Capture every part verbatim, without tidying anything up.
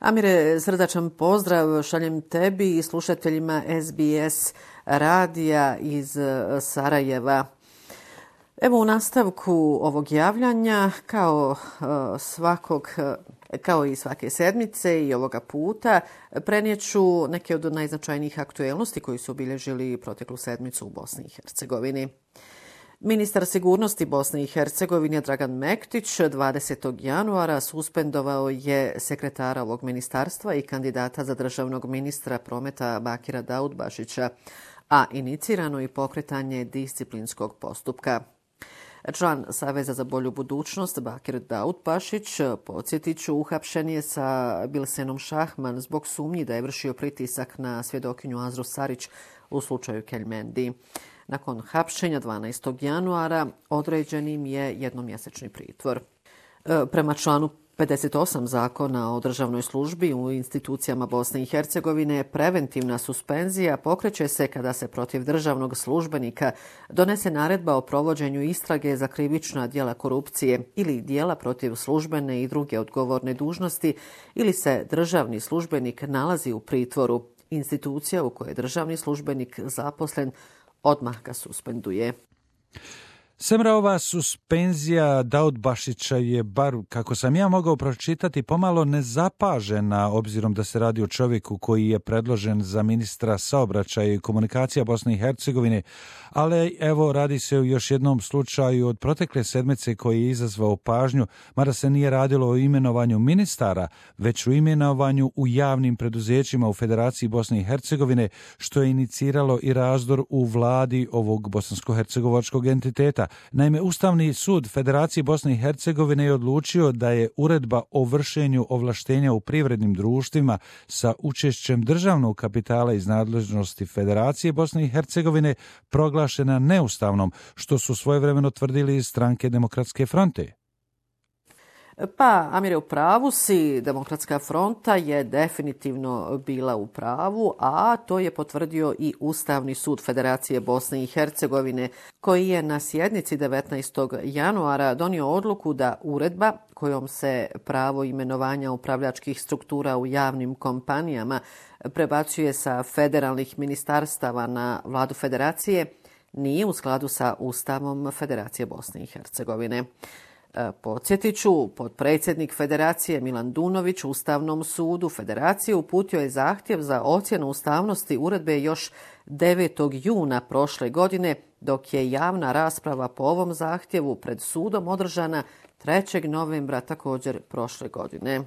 Amire, srdačan pozdrav šaljem tebi i slušateljima S B S radija iz Sarajeva. Evo u nastavku ovog javljanja, kao svakog, kao i svake sedmice i ovoga puta, prenijeću neke od najznačajnijih aktuelnosti koji su obilježili proteklu sedmicu u Bosni i Hercegovini. Ministar sigurnosti Bosne i Hercegovine Dragan Mektić dvadesetog januara suspendovao je sekretara ovog ministarstva i kandidata za državnog ministra prometa Bakira Daudbašića, a inicirano i pokretanje disciplinskog postupka. Član Saveza za bolju budućnost Bakir Daudbašić, podsjetit ću, uhapšen je sa Bilsenom Šahman zbog sumnji da je vršio pritisak na svjedokinju Azru Sarić u slučaju Keljmendi. Nakon hapšenja dvanaestog januara određen im je jednomjesečni pritvor. Prema članu pedeset osam Zakona o državnoj službi u institucijama Bosne i Hercegovine, preventivna suspenzija pokreće se kada se protiv državnog službenika donese naredba o provođenju istrage za krivična djela korupcije ili djela protiv službene i druge odgovorne dužnosti ili se državni službenik nalazi u pritvoru. Institucija u kojoj je državni službenik zaposlen odmah ga suspenduje. Semra, ova suspenzija Daudbašića je, bar kako sam ja mogao pročitati, pomalo nezapažena, obzirom da se radi o čovjeku koji je predložen za ministra saobraćaja i komunikacija Bosne i Hercegovine, ali evo radi se o još jednom slučaju od protekle sedmice koji je izazvao pažnju, mada se nije radilo o imenovanju ministara, već o imenovanju u javnim preduzećima u Federaciji Bosne i Hercegovine, što je iniciralo i razdor u vladi ovog bosansko-hercegovačkog entiteta. Naime, Ustavni sud Federacije Bosne i Hercegovine je odlučio da je uredba o vršenju ovlaštenja u privrednim društvima sa učešćem državnog kapitala iz nadležnosti Federacije Bosne i Hercegovine proglašena neustavnom, što su svojevremeno tvrdili iz stranke Demokratske fronte. Pa, Amire, u pravu si, Demokratska fronta je definitivno bila u pravu, a to je potvrdio i Ustavni sud Federacije Bosne i Hercegovine, koji je na sjednici devetnaestog januara donio odluku da uredba kojom se pravo imenovanja upravljačkih struktura u javnim kompanijama prebacuje sa federalnih ministarstava na vladu Federacije nije u skladu sa Ustavom Federacije Bosne i Hercegovine. Podsjetit ću, potpredsjednik Federacije Milan Dunović Ustavnom sudu Federacije uputio je zahtjev za ocjenu ustavnosti uredbe još devetog juna prošle godine, dok je javna rasprava po ovom zahtjevu pred sudom održana trećeg novembra također prošle godine.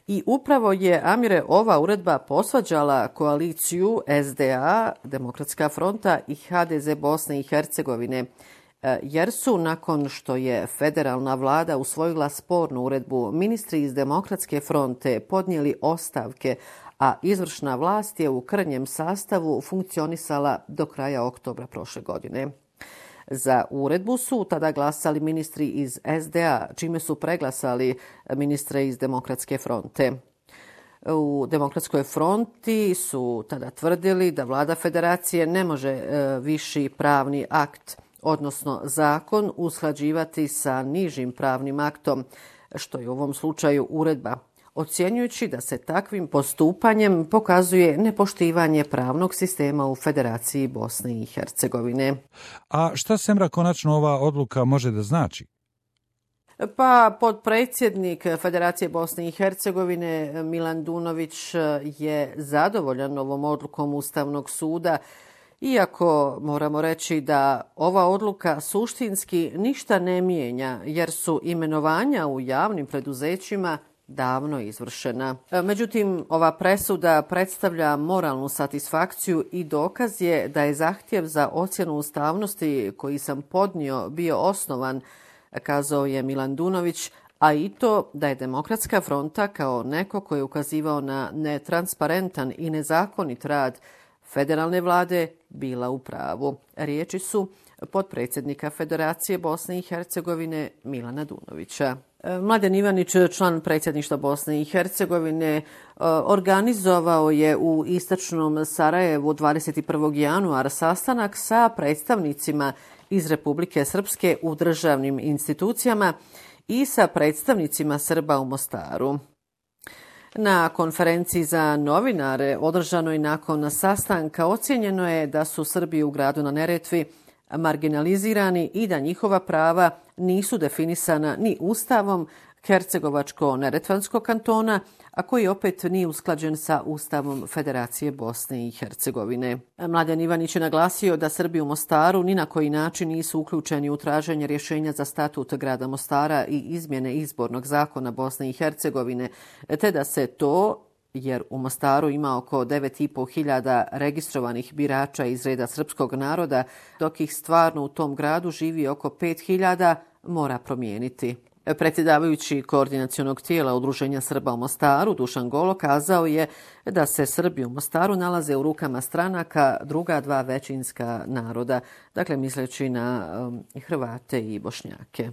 I upravo je, Amire, ova uredba posvađala koaliciju S D A, Demokratska fronta i H D Z Bosne i Hercegovine, jer su, nakon što je federalna vlada usvojila spornu uredbu, ministri iz Demokratske fronte podnijeli ostavke, a izvršna vlast je u krnjem sastavu funkcionisala do kraja oktobra prošle godine. Za uredbu su tada glasali ministri iz S D A, čime su preglasali ministre iz Demokratske fronte. U Demokratskoj fronti su tada tvrdili da vlada Federacije ne može viši pravni akt, odnosno zakon, usklađivati sa nižim pravnim aktom, što je u ovom slučaju uredba, ocjenjujući da se takvim postupanjem pokazuje nepoštivanje pravnog sistema u Federaciji Bosne i Hercegovine. A šta, Semra, konačno ova odluka može da znači? Pa, potpredsjednik Federacije Bosne i Hercegovine Milan Dunović je zadovoljan ovom odlukom Ustavnog suda, iako moramo reći da ova odluka suštinski ništa ne mijenja, jer su imenovanja u javnim preduzećima davno izvršena. Međutim, ova presuda predstavlja moralnu satisfakciju i dokaz je da je zahtjev za ocjenu ustavnosti koji sam podnio bio osnovan, kazao je Milan Dunović, a i to da je Demokratska fronta kao neko koji je ukazivao na netransparentan i nezakonit rad federalne vlade bila u pravu. Riječi su potpredsjednika Federacije Bosne i Hercegovine Milana Dunovića. Mladen Ivanić, član predsjedništva Bosne i Hercegovine, organizovao je u istočnom Sarajevu dvadeset prvog januara sastanak sa predstavnicima iz Republike Srpske u državnim institucijama i sa predstavnicima Srba u Mostaru. Na konferenciji za novinare održanoj nakon sastanka ocijenjeno je da su Srbi u gradu na Neretvi marginalizirani i da njihova prava nisu definisana ni Ustavom Hercegovačko-neretvanskog kantona, a koji opet nije usklađen sa Ustavom Federacije Bosne i Hercegovine. Mladen Ivanić je naglasio da Srbi u Mostaru ni na koji način nisu uključeni u traženje rješenja za statut grada Mostara i izmjene izbornog zakona Bosne i Hercegovine, te da se to, jer u Mostaru ima oko devet i po hiljada registrovanih birača iz reda srpskog naroda, dok ih stvarno u tom gradu živi oko pet hiljada, mora promijeniti. Predsjedavajući koordinacionog tijela Udruženja Srba u Mostaru, Dušan Golo, kazao je da se Srbi u Mostaru nalaze u rukama stranaka druga dva većinska naroda, dakle misleći na um, Hrvate i Bošnjake.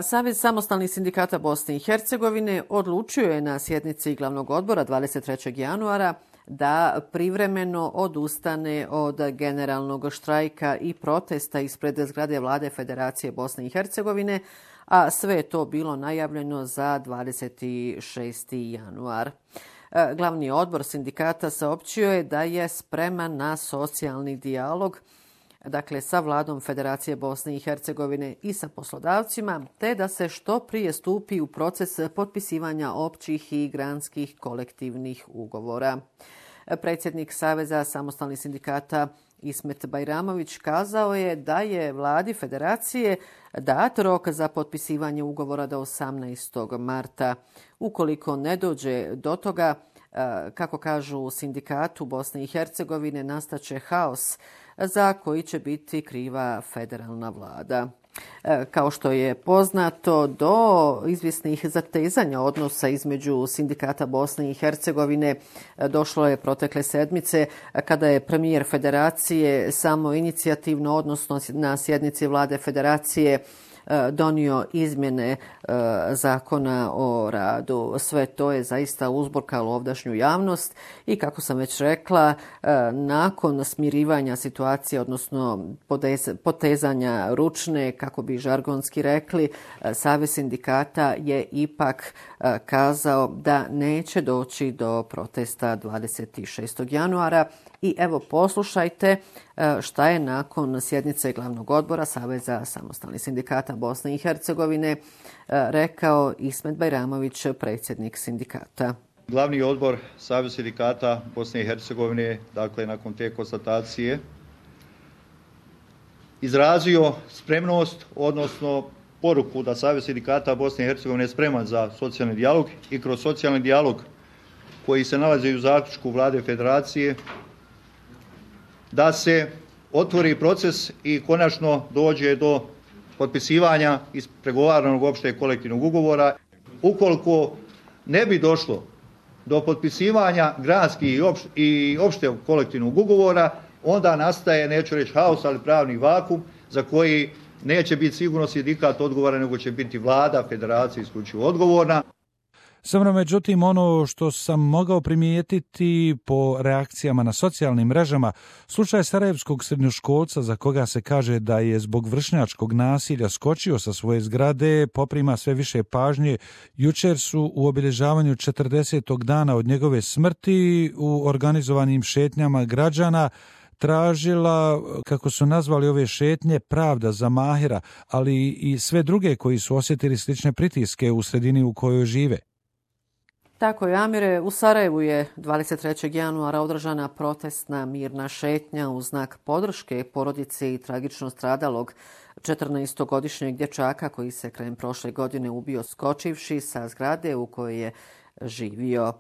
Savez samostalnih sindikata Bosne i Hercegovine odlučio je na sjednici glavnog odbora dvadeset trećeg januara da privremeno odustane od generalnog štrajka i protesta ispred zgrade vlade Federacije Bosne i Hercegovine, a sve je to bilo najavljeno za dvadeset šesti januar. Glavni odbor sindikata saopćio je da je spreman na socijalni dijalog, dakle sa vladom Federacije Bosne i Hercegovine i sa poslodavcima, te da se što prije stupi u proces potpisivanja općih i granskih kolektivnih ugovora. Predsjednik Saveza samostalnih sindikata Ismet Bajramović kazao je da je vladi Federacije dat rok za potpisivanje ugovora do osamnaestog marta. Ukoliko ne dođe do toga, kako kažu u sindikatu Bosne i Hercegovine, nastaće haos za koji će biti kriva federalna vlada. Kao što je poznato, do izvjesnih zatezanja odnosa između sindikata Bosne i Hercegovine došlo je protekle sedmice kada je premijer Federacije samo inicijativno, odnosno na sjednici vlade Federacije, donio izmjene zakona o radu. Sve to je zaista uzburkalo ovdašnju javnost i, kako sam već rekla, nakon smirivanja situacije, odnosno potezanja ručne, kako bi žargonski rekli, Savez sindikata je ipak kazao da neće doći do protesta dvadeset šestog januara. I evo, poslušajte šta je nakon sjednice glavnog odbora Saveza samostalnih sindikata Bosne i Hercegovine rekao Ismet Bajramović, predsjednik sindikata. Glavni odbor Saveza sindikata Bosne i Hercegovine, dakle nakon te konstatacije, izrazio spremnost, odnosno poruku da Savez sindikata Bosne i Hercegovine je spreman za socijalni dijalog i kroz socijalni dijalog koji se nalazi u zaključku vlade Federacije da se otvori proces i konačno dođe do potpisivanja ispregovaranog opšteg kolektivnog ugovora. Ukoliko ne bi došlo do potpisivanja granskih i opšteg kolektivnog ugovora, onda nastaje, neću reći haos, ali pravni vakum za koji neće biti sigurno sindikat odgovoran, nego će biti vlada Federacije isključivo odgovorna. Samo međutim, ono što sam mogao primijetiti po reakcijama na socijalnim mrežama, slučaj sarajevskog srednjoškolca za koga se kaže da je zbog vršnjačkog nasilja skočio sa svoje zgrade, poprima sve više pažnje. Jučer su u obilježavanju četrdesetog dana od njegove smrti u organizovanim šetnjama građana tražila, kako su nazvali ove šetnje, pravda za Mahira, ali i sve druge koji su osjetili slične pritiske u sredini u kojoj žive. Tako je, Amire. U Sarajevu je dvadeset trećeg januara održana protestna mirna šetnja u znak podrške porodici i tragično stradalog četrnaestogodišnjeg dječaka koji se krajem prošle godine ubio skočivši sa zgrade u kojoj je živio.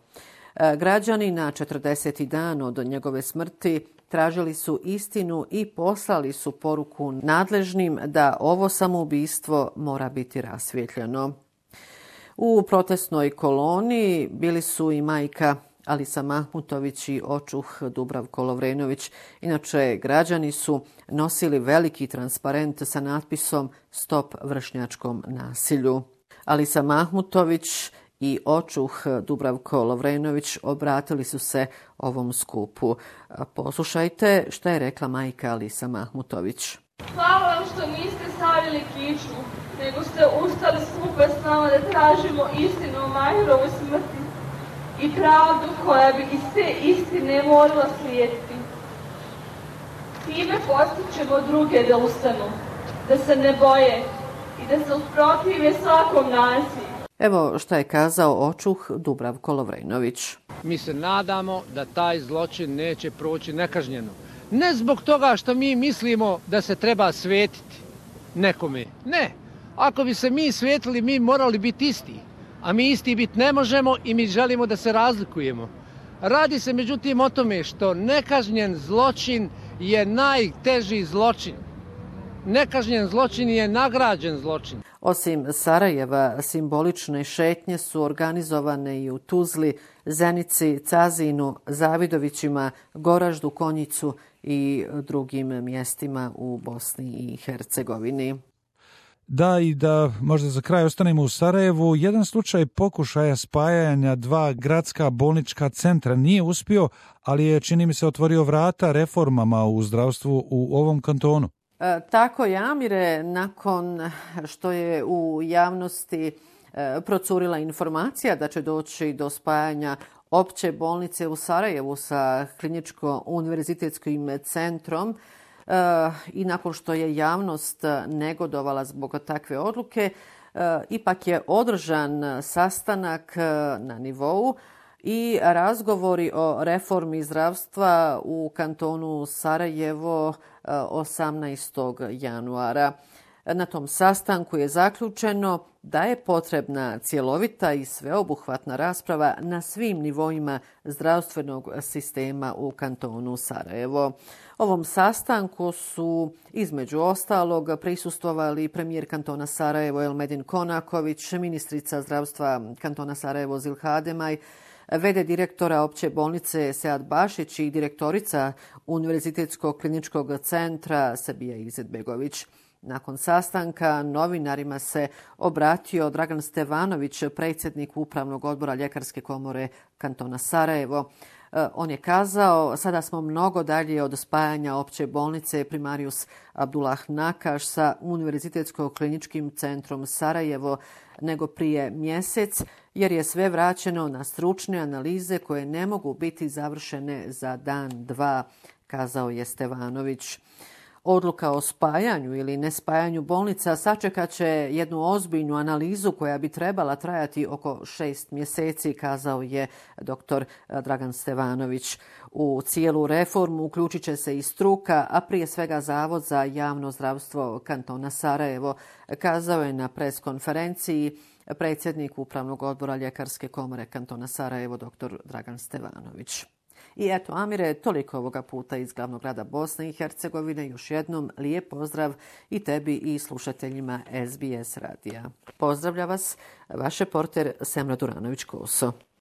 Građani na četrdeseti dan od njegove smrti tražili su istinu i poslali su poruku nadležnim da ovo samoubistvo mora biti rasvjetljeno. U protestnoj koloni bili su i majka Alisa Mahmutović i očuh Dubravko Lovrenović. Inače, građani su nosili veliki transparent sa natpisom Stop vršnjačkom nasilju. Alisa Mahmutović i očuh Dubravko Lovrenović obratili su se ovom skupu. Poslušajte šta je rekla majka Alisa Mahmutović. Hvala vam što niste stavili kičmu, nego ste ustali skupa s nama da tražimo istinu o Mahirovoj smrti. i pravdu koja bi iz te istine morala slijediti. Time postičemo druge da ustanu, da se ne boje i da se usprotive svakom nasilju. Evo šta je kazao očuh Dubravko Lovrenović. Mi se nadamo da taj zločin neće proći nekažnjeno. Ne zbog toga što mi mislimo da se treba svetiti nekome. Ne. Ako bi se mi svetili, mi morali biti isti. A mi isti biti ne možemo i mi želimo da se razlikujemo. Radi se međutim o tome što nekažnjen zločin je najteži zločin. Nekažnjen zločin je nagrađen zločin. Osim Sarajeva, simbolične šetnje su organizovane i u Tuzli, Zenici, Cazinu, Zavidovićima, Goraždu, Konjicu i drugim mjestima u Bosni i Hercegovini. Da, i da možda za kraj ostanemo u Sarajevu, jedan slučaj pokušaja spajanja dva gradska bolnička centra nije uspio, ali je, čini mi se, otvorio vrata reformama u zdravstvu u ovom kantonu. E, tako je, Amire, nakon što je u javnosti e, procurila informacija da će doći do spajanja opće bolnice u Sarajevu sa kliničko-univerzitetskim centrom, e, i nakon što je javnost negodovala zbog takve odluke, e, ipak je održan sastanak na nivou i razgovori o reformi zdravstva u kantonu Sarajevo osamnaestog januara. Na tom sastanku je zaključeno da je potrebna cjelovita i sveobuhvatna rasprava na svim nivoima zdravstvenog sistema u kantonu Sarajevo. Ovom sastanku su između ostalog prisustvovali premijer kantona Sarajevo Elmedin Konaković, ministrica zdravstva kantona Sarajevo Zilha Ademaj, v d direktora opće bolnice Sead Bašić i direktorica Univerzitetskog kliničkog centra Sebija Izetbegović. Nakon sastanka novinarima se obratio Dragan Stevanović, predsjednik Upravnog odbora Ljekarske komore kantona Sarajevo. On je kazao, sada smo mnogo dalje od spajanja opće bolnice Primarius Abdullah Nakaš sa Univerzitetskog kliničkim centrom Sarajevo nego prije mjesec, jer je sve vraćeno na stručne analize koje ne mogu biti završene za dan, dva, kazao je Stevanović. Odluka o spajanju ili nespajanju bolnica sačekat će jednu ozbiljnu analizu koja bi trebala trajati oko šest mjeseci, kazao je doktor Dragan Stevanović. U cijelu reformu uključit će se i struka, a prije svega Zavod za javno zdravstvo kantona Sarajevo, kazao je na pres konferenciji predsjednik Upravnog odbora Ljekarske komore kantona Sarajevo doktor Dragan Stevanović. I eto, Amire, toliko ovoga puta iz glavnog grada Bosne i Hercegovine. Još jednom lijep pozdrav i tebi i slušateljima S B S radija. Pozdravlja vas vaš reporter Semra Duranović-Koso.